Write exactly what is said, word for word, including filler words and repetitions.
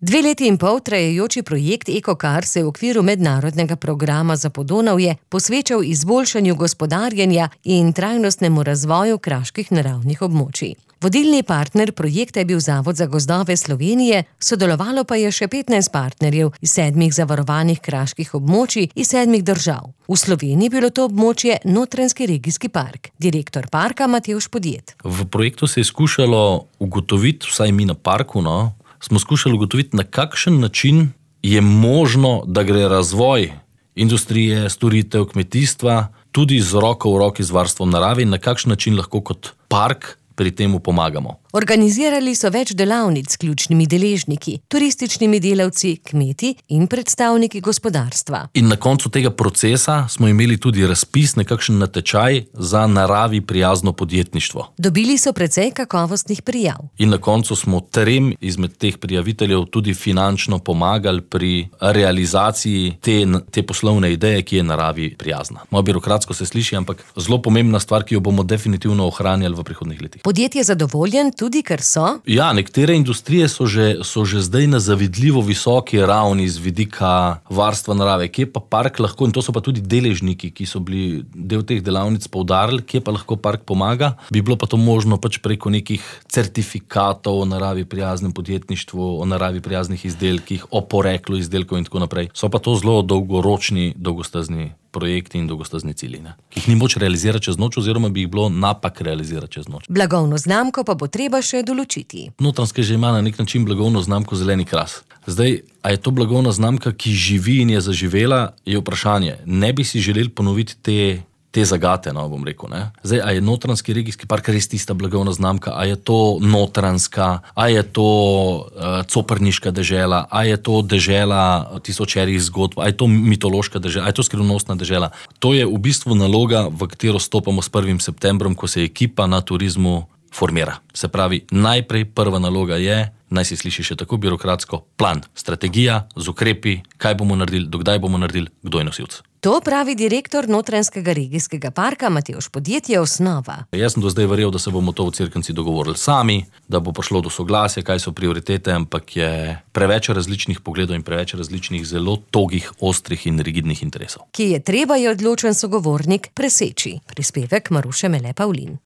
Dve leti in pol trajajoči projekt Eko-Kar se v okviru mednarodnega programa za Podonavje posvečal izboljšanju gospodarjenja in trajnostnemu razvoju kraških naravnih območij. Vodilni partner projekta je bil Zavod za gozdove Slovenije, sodelovalo pa je še petnajst partnerjev iz sedmih zavarovanih kraških območij iz sedmih držav. V Sloveniji je bilo to območje Notranjski regijski park. Direktor parka Matevž Podjed. V projektu se je skušalo ugotoviti, vsaj mi na parku, no, smo skušali ugotoviti, na kakšen način je možno, da gre razvoj industrije, storitev, kmetijstva tudi z roko v roki z varstvom narave in na kakšen način lahko kot park pri temu pomagamo. Organizirali so več delavnic s ključnimi deležniki, turističnimi delavci, kmeti in predstavniki gospodarstva. In na koncu tega procesa smo imeli tudi razpis, nekakšen natečaj za naravi prijazno podjetništvo. Dobili so precej kakovostnih prijav. In na koncu smo trem izmed teh prijaviteljev tudi finančno pomagali pri realizaciji te, te poslovne ideje, ki je naravi prijazna. Malo birokratsko se sliši, ampak zelo pomembna stvar, ki jo bomo definitivno ohranjali v prihodnjih letih. Podjetje je zadovoljen tudi, ker so? Ja, nekatere industrije so že, so že zdaj na zavidljivo visoki ravni z vidika varstva narave. Kje pa park lahko, in to so pa tudi deležniki, ki so bili del teh delavnic poudarili, kje pa lahko park pomaga, bi bilo pa to možno pač preko nekih certifikatov o naravi prijaznem podjetništvu, o naravi prijaznih izdelkih, o poreklu izdelkov in tako naprej. So pa to zelo dolgoročni, dolgostazni projekti in dolgostazni cilji, ne? Ki jih ni moč realizirati čez noč, oziroma bi jih bilo napak realizirati čez noč. Blagovno znamko pa bo treba še določiti. Notranjska že ima na nek način blagovno znamko Zeleni kras. Zdaj, a je to blagovna znamka, ki živi in je zaživela, je vprašanje. Ne bi si želeli ponoviti te te zagate, no, bom rekel, ne. Zdaj, a je Notranjski regijski park res tista blagovna znamka, a je to notranjska, a je to uh, coprniška dežela, a je to dežela tisočerih zgodb, a je to mitološka dežela, a je to skrivnostna dežela. To je v bistvu naloga, v katero stopamo s prvim septembrom, ko se ekipa na turizmu formira. Se pravi, najprej prva naloga je, naj se sliši še tako birokratsko, plan, strategija z ukrepi, kaj bomo naredili, dokdaj bomo naredili, kdo je nosilc. To pravi direktor Notranjskega regijskega parka Matevž Podjed, je osnova. Jaz sem do zdaj verjel, da se bomo to v Cerknici dogovorili sami, da bo prišlo do soglasja, kaj so prioritete, ampak je preveč različnih pogledov in preveč različnih zelo togih, ostrih in rigidnih interesov. Ki je treba, je odločen sogovornik preseči. Prispevek Maruše Mele Pavlin.